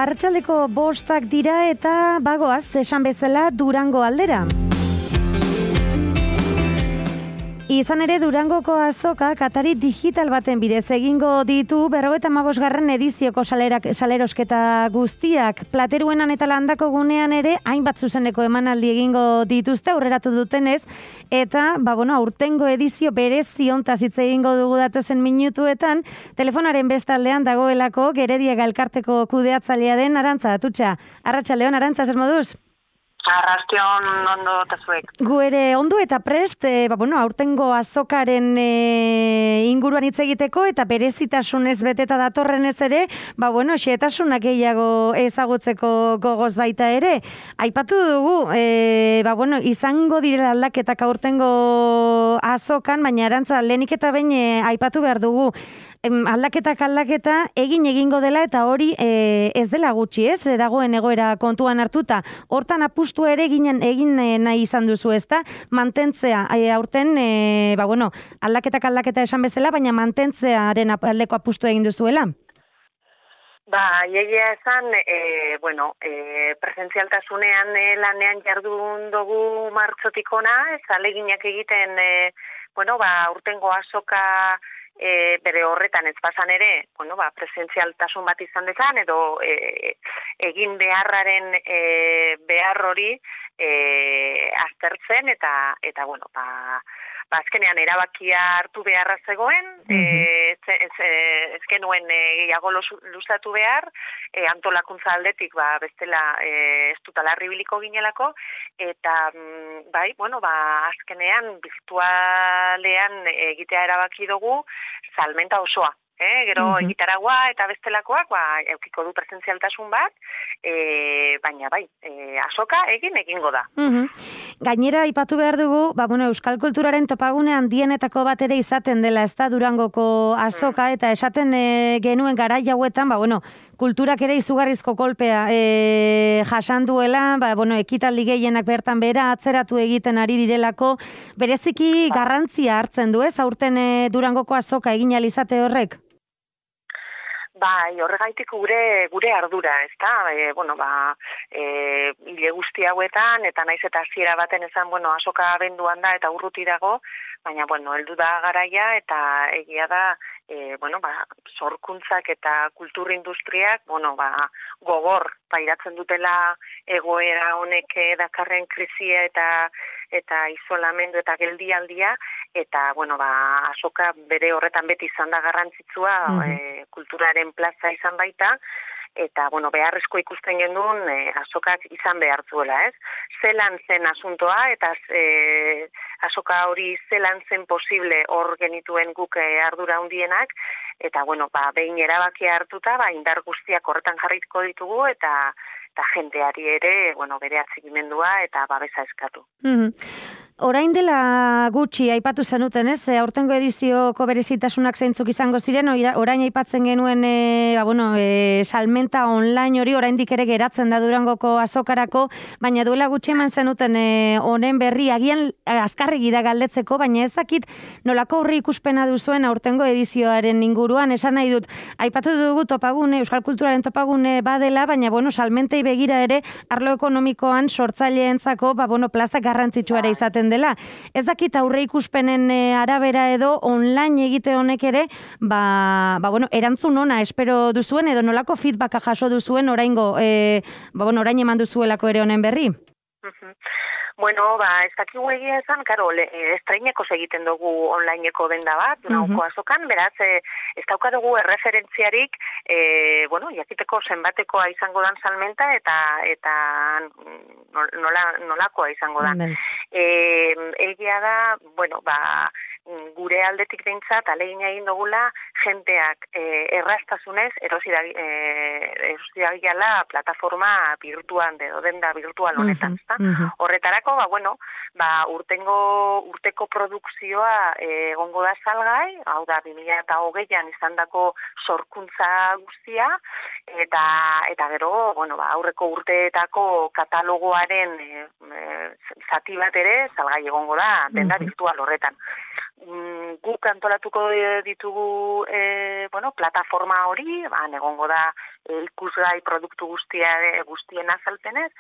arratsaldeko 5 dira eta bagoaz, esan bezala Durango aldera. Izan ere Durangoko azokak atari digital baten bidez egingo ditu 55. edizioko salerosketa guztiak. Plateruenan eta Landako gunean ere hainbat zuzeneko emanaldi egingo dituzte aurreratu dutenez, eta aurtengo edizio berezi hontaz hitz egingo dugu datozen minutuetan, telefonaren bestaldean dagoelako Gerediaga elkarteko kudeatzailea den Arantza Atutxa. Arratsaldeon, Arantza, zer moduz? Arrastion ondo eta zuek. Gu ere ondo eta prest, aurtengo azokaren inguruan hitz egiteko eta berezitasunez beteta datorrenez ere, xehetasunak gehiago ezagutzeko gogoz baita ere. Aipatu dugu, izango direla aldaketak aurtengo azokan, baina Arantza, lehenik eta behin aipatu behar dugu. Aldaketa egingo dela eta hori ez dela gutxi, ez? Dagoen egoera kontuan hartuta. Hortan apustu ere egin nahi izan duzu, ezta? Mantentzea, aurten, aldaketa esan bezala, baina mantentzearen aldeko apustu egin duzuela. Egia esan, presentzialtasunean lanean jardun dugu martxotik ona, ez aleginak egiten, urtengo azoka bere horretan ez bazan ere, presentzialtasun bat izan dezan, edo egin beharraren behar hori aztertzen, eta azkenean erabakia hartu beharra zegoen, ez genuen gehiago luzatu behar, antolakuntza aldetik bestela ez dutala ribiliko ginelako, eta azkenean virtualean egitea erabaki dugu salmenta osoa. Gero egitaragua eta bestelakoak eukiko du presentzialtasun bat, baina azoka egingo da. Gainera, aipatu behar dugu, euskal kulturaren topagune handienetako bat ere izaten dela, ez da Durangoko azoka, eta esaten genuen garai hauetan, kulturak ere izugarrizko kolpea jasan duela, ekitaldi gehienak bertan bera atzeratu egiten ari direlako, bereziki garrantzia hartzen du, ez, aurten Durangoko azoka egin ahal izate horrek? Horregaitik gure ardura, ezta? Hile guzti hauetan, eta naiz eta hasiera baten esan, azoka abenduan da eta urruti dago, baina, heldu da garaia, eta egia da, sorkuntzak eta kulturindustriak, gogor pairatzen dutela egoera honek dakarren krisia eta isolamendu eta geldialdia, eta, azoka bere horretan beti izan da garrantzitsua, kulturaren plaza izan baita, eta, beharrezko ikusten gendun azokak izan behar zuela, ez? Zelan zen asuntoa, eta azoka hori zelan zen posible hor genituen guk ardura handienak, eta, behin erabakia hartuta, indar guztiak horretan jarriko ditugu, eta jendeari ere, bere atzigimendua eta babesa eskatu. Orain dela gutxi aipatu zenuten, ez? Aurtengo edizioko berezitasunak zeintzuk izango ziren, orain aipatzen genuen salmenta online hori oraindik ere geratzen da Durangoko azokarako, baina duela gutxi eman zenuten honen berri agian azkarregi da galdetzeko, baina ez dakit nolako horri ikuspena duzuen aurtengo edizioaren inguruan, esan nahi dut, aipatu dugu topagune, euskal kulturaren topagune badela, baina salmentei begira ere arlo ekonomikoan sortzaileentzako plaza garrantzitsua ere izaten dela. Ez dakit aurre ikuspenen arabera edo online egite honek ere, erantzun ona espero duzuen edo nolako feedbacka jaso duzuen orain eman duzuelako ere honen berri? Ez dakigu egia esan, estreineko egiten dugu onlineko denda bat, Durangoko azokan, beraz, ez daukadugu erreferentziarik, jakiteko zenbatekoa izango dan salmenta, eta nolakoa izango da. Egia da, gure aldetik behintzat, alegin egin dugula, jenteak erraztasunez erosi dagiala plataforma virtual, denda virtual honetan. Horretarako, urteko produkzioa egongo da salgai, hau da 2020an izandako sorkuntza guztia, eta gero, aurreko urteetako katalogoaren zati bat ere salgai egongo da denda virtual horretan. guk antolatuko ditugu plataforma hori, egongo da ikusgai produktu guztien azalpenez,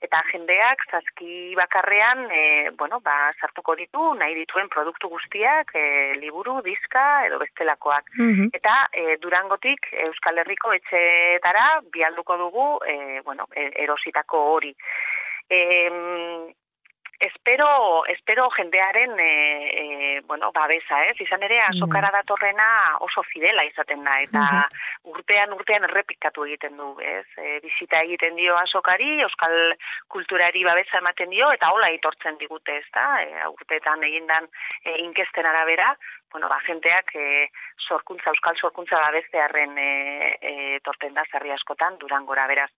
eta jendeak zazki bakarrean sartuko ditu nahi dituen produktu guztiak, liburu, diska edo bestelakoak. Eta Durangotik Euskal Herriko etxeetara bialduko dugu erositako hori. Espero jendearen babesa, izan ere azokara datorrena oso fidela izaten da, eta urtean errepikatu egiten du, bizita egiten dio azokari, euskal kulturari babesa ematen dio, eta hola itortzen digute, urteetan egindan inkesten arabera, jenteak euskal sorkuntza babestearen torten da zerri askotan Durangora, beraz.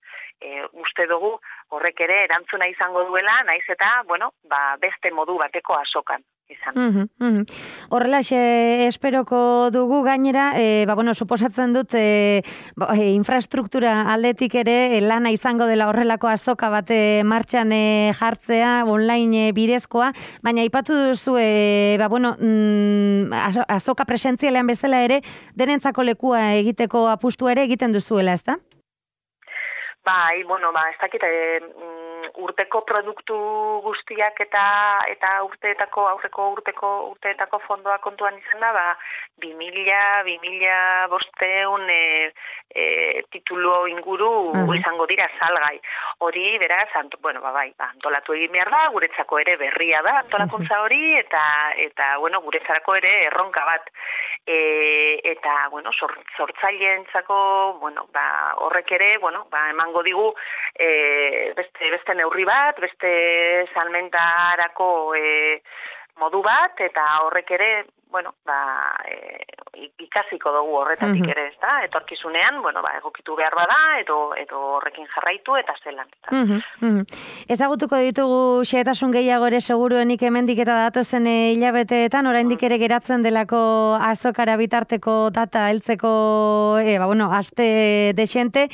Uste dugu horrek ere erantzuna izango duela, naiz eta, beste modu bateko azokan izan. Horrelaxe esperoko dugu gainera, suposatzen dut infrastruktura aldetik ere lana izango dela horrelako azoka bat martxan jartzea, online bidezkoa, baina aipatu duzu, azoka presentzialean bezala ere, denentzako lekua egiteko apustua ere egiten duzuela, ezta? Bai, ez dakit, urteko produktu guztiak eta aurreko urteetako fondoa kontuan izan da, 2.500 titulu inguru izango dira salgai. Hori, beraz, antolatu egin behar da, guretzako ere berria da antolakuntza hori, eta guretzarako ere erronka bat. Eta, sortzaileentzako, horrek ere, emango digu beste neurri bat, beste salmentarako modu bat, eta horrek ere, ikasiko dugu horretatik ere, ezta? Etorkizunean, egokitu behar bada, edo horrekin jarraitu, eta zelan. Ezagutuko ditugu xehetasun gehiago ere seguruenik hemendik eta datozen hilabeteetan, oraindik ere geratzen delako azokara bitarteko data heltzeko, aste desente.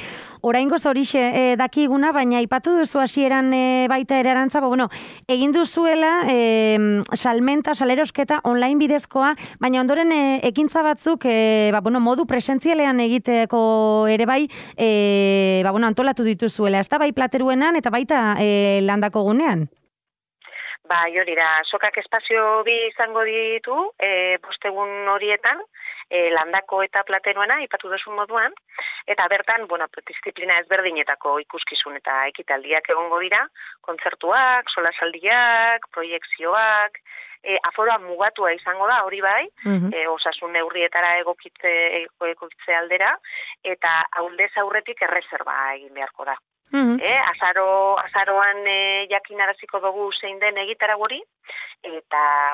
Oraingoz horixe dakiguna, baina aipatu duzu hasieran baita ere Arantza, egin duzuela salmenta, salerosketa online bidezkoa, baina ondoren ekintza batzuk modu presentzialean egiteko ere bai antolatu dituzuela, ez da bai plateruenan eta baita landako gunean? Bai, hori da, sokak espazio bi izango ditu, bostegun horietan, landako eta plateruena, ipatu duzun moduan, eta bertan, disiplina ezberdinetako ikuskizun eta ekitaldiak egongo dira, kontzertuak, solasaldiak, proiekzioak, aforoa mugatua izango da, hori bai, osasun neurrietara egokitze aldera, eta aldez aurretik erreserba egin beharko da. Azaroan jakinaraziko dugu zein den egitarau hori, eta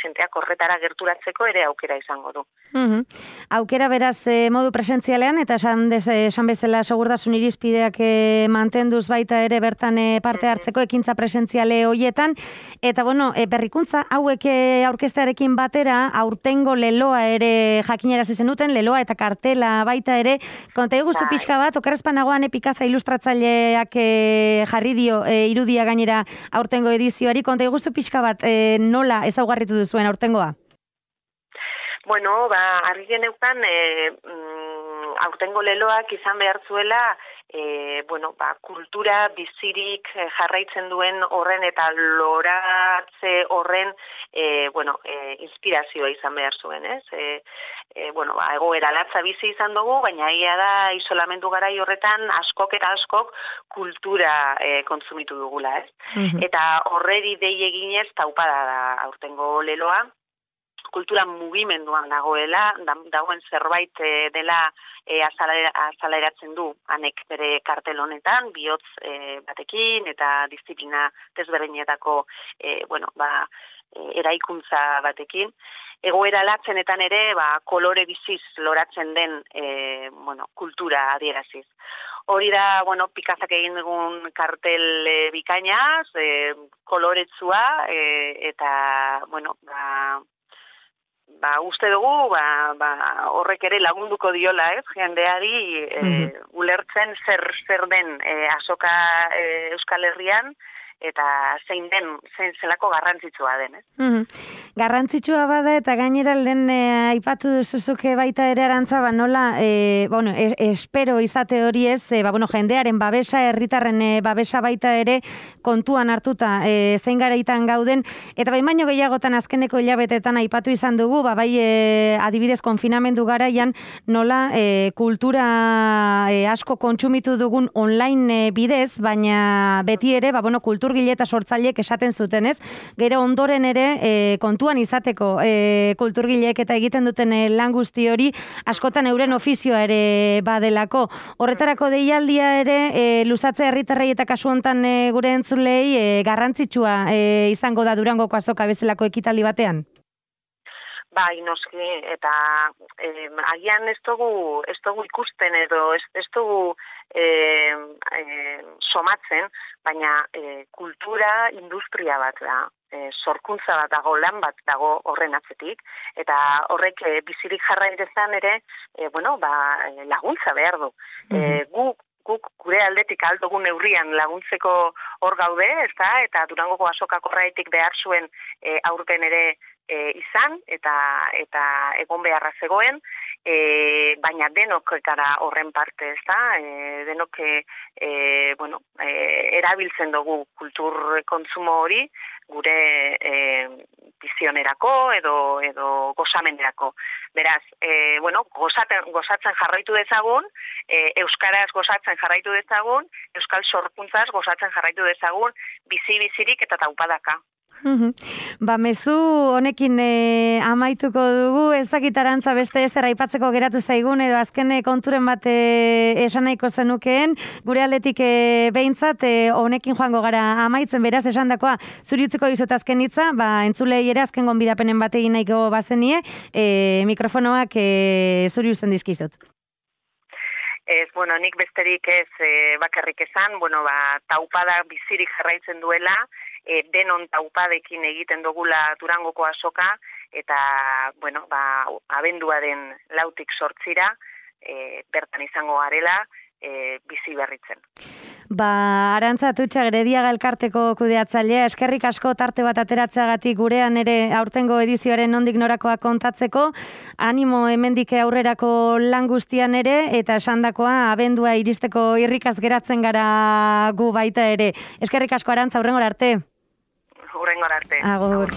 jenteak horretara gerturatzeko ere aukera izango du. Aukera beraz modu presentzialean, eta esan bezala segurtasun irizpideak mantenduz baita ere bertan parte hartzeko ekintza presentziale hoietan, eta berrikuntza hauek aurkeztearekin batera, aurtengo leloa ere jakinarazi zenuten, leloa eta kartela baita ere, konta iguzu pixka bat, okerrezpanagoan Pikaza ilustratzaileak jarri dio irudia gainera aurtengo edizioari, konta iguzu pixka bat nola ezaugarritu duzuen aurtengoa? Argi geneukan aurtengo leloak izan behar zuela kultura bizirik jarraitzen duen horren eta loratze horren inspirazioa izan behar zuen, ez? Egoera latza bizi izan dugu, baina egia da isolamendu garai horretan askok kultura kontsumitu dugula, ez? Eta horreri dei eginez taupada da aurtengo leloa, kultura mugimenduan dagoen zerbait dela azaleratzen du anek bere kartel honetan, bihotz batekin eta disiplina desberdinetako eraikuntza batekin. Egoera latzenetan ere kolore biziz loratzen den kultura adieraziz. Hori da, Pikazak egin dugun kartel bikainaz, koloretsua eta, uste dugu, horrek ere lagunduko diola, ez? Jendeari ulertzen zer den azoka Euskal Herrian, zein zelako garrantzitsua den, Garrantzitsua bada eta gainera lehen aipatu duzuzuke baita ere Arantza, nola, espero izate hori ez, jendearen babesa, herritarren babesa baita ere kontuan hartuta zein garaitan gauden, eta baino gehiagotan azkeneko hilabetetan aipatu izan dugu, bai adibidez konfinamendu garaian nola kultura asko kontsumitu dugun online bidez, baina beti ere, kulturgile eta sortzaileek esaten zuten, ez? Gero ondoren ere kontuan izateko kulturgileek eta egiten duten lan guzti hori askotan euren ofizioa ere badelako. Horretarako deialdia ere luzatzea herritarrei eta kasu hontan gure entzulei garrantzitsua izango da Durangoko azoka bezalako ekitaldi batean. Bai, noski, eta agian ez dugu ikusten edo ez dugu somatzen, baina kultura industria bat da, sorkuntza bat dago, lan bat dago horren atzetik, eta horrek bizirik jarraitezan ere, laguntza behar du. Guk gure aldetik aldogun neurrian laguntzeko hor gaude, eta Durangoko azokako horretik behar zuen aurten ere izan eta egon beharra zegoen, baina denok gara horren parte, denok erabiltzen dugu kultur kontsumo hori gure bizionerako edo gozamenerako. Beraz, gozatzen jarraitu dezagun, euskaraz gozatzen jarraitu dezagun, euskal sorkuntzaz gozatzen jarraitu dezagun, bizirik eta taupadaka. Mezu honekin amaituko dugu, ezakit Arantza beste ezer aipatzeko geratu zaigun edo azken konturen bat esan nahiko zenukeen, gure aldetik behintzat honekin joango gara amaitzen, beraz esandakoa zuri utziko dizut azken hitza, entzulei ere azken gonbidapenen bat egin nahiko bazenie, mikrofonoak zuri uzten dizkizut. Nik besterik ez bakarrik esan, taupada bizirik jarraitzen duela, denon taupadekin egiten dugula Durangoko azoka, eta, abenduaren 4tik 8 bertan izango garela, bizi berritzen. Arantza Atutxa, Gerediaga elkarteko kudeatzailea, eskerrik asko tarte bat ateratzeagatik gurean ere aurtengo edizioaren nondik norakoa kontatzeko, animo hemendik aurrerako lan guztian ere, eta esandakoa abendua iristeko irrikaz geratzen gara gu baita ere. Eskerrik asko Arantza, hurrengora arte. Hurrengora arte. Agur.